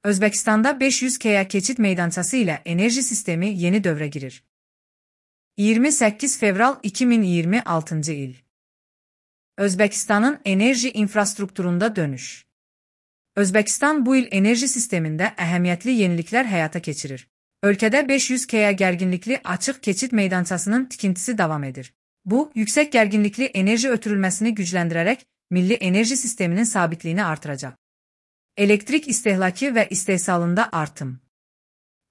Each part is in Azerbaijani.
Özbəkistanda 500K keçid meydançası ilə enerji sistemi yeni dövrə girir. 28 fevral 2026 il. Özbəkistanın enerji infrastrukturunda dönüş. Özbəkistan bu il enerji sistemində əhəmiyyətli yeniliklər həyata keçirir. Ölkədə 500K gərginlikli açıq keçid meydançasının tikintisi davam edir. Bu, yüksək gərginlikli enerji ötürülməsini gücləndirərək milli enerji sisteminin sabitliyini artıracaq. Elektrik istehlakı və istehsalında artım.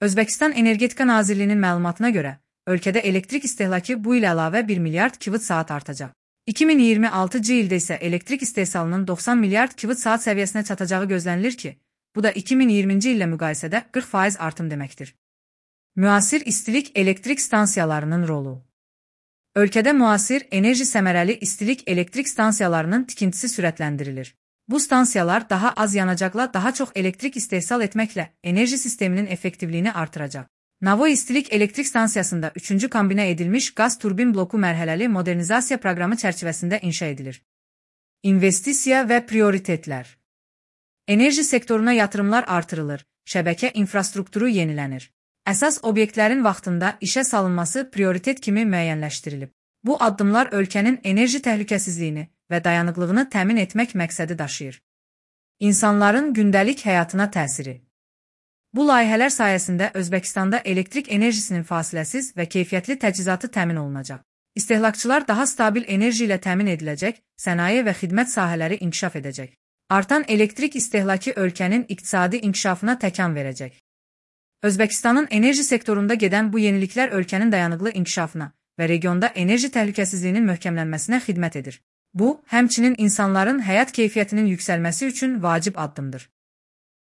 Özbəkistan Energetika Nazirliyinin məlumatına görə, ölkədə elektrik istehlakı bu il əlavə 1 milyard kWh artacaq. 2026 ildə isə elektrik istehsalının 90 milyard kWh səviyyəsinə çatacağı gözlənilir ki, bu da 2020-ci illə müqayisədə 40% artım deməkdir. Müasir istilik elektrik stansiyalarının rolu. Ölkədə müasir, enerji səmərəli istilik elektrik stansiyalarının tikintisi sürətləndirilir. Bu stansiyalar daha az yanacaqla daha çox elektrik istehsal etməklə enerji sisteminin effektivliyini artıracaq. Navoy İstilik Elektrik Stansiyasında 3-cü kombinə edilmiş qaz turbin bloku mərhələli modernizasiya proqramı çərçivəsində inşa edilir. İnvestisiya və prioritetlər. Enerji sektoruna yatırımlar artırılır, şəbəkə infrastrukturu yenilənir. Əsas obyektlərin vaxtında işə salınması prioritet kimi müəyyənləşdirilib. Bu addımlar ölkənin enerji təhlükəsizliyini və dayanıqlığını təmin etmək məqsədi daşıyır. İnsanların gündəlik həyatına təsiri. Bu layihələr sayəsində Özbəkistanda elektrik enerjisinin fasiləsiz və keyfiyyətli təchizatı təmin olunacaq. İstehlakçılar daha stabil enerji ilə təmin ediləcək, sənaye və xidmət sahələri inkişaf edəcək. Artan elektrik istehlakı ölkənin iqtisadi inkişafına təkan verəcək. Özbəkistanın enerji sektorunda gedən bu yeniliklər ölkənin dayanıqlı inkişafına və regionda enerji təhlükəsizliyinin möhkəmlənməsinə xidmət edir. Bu, həmçinin insanların həyat keyfiyyətinin yüksəlməsi üçün vacib addımdır.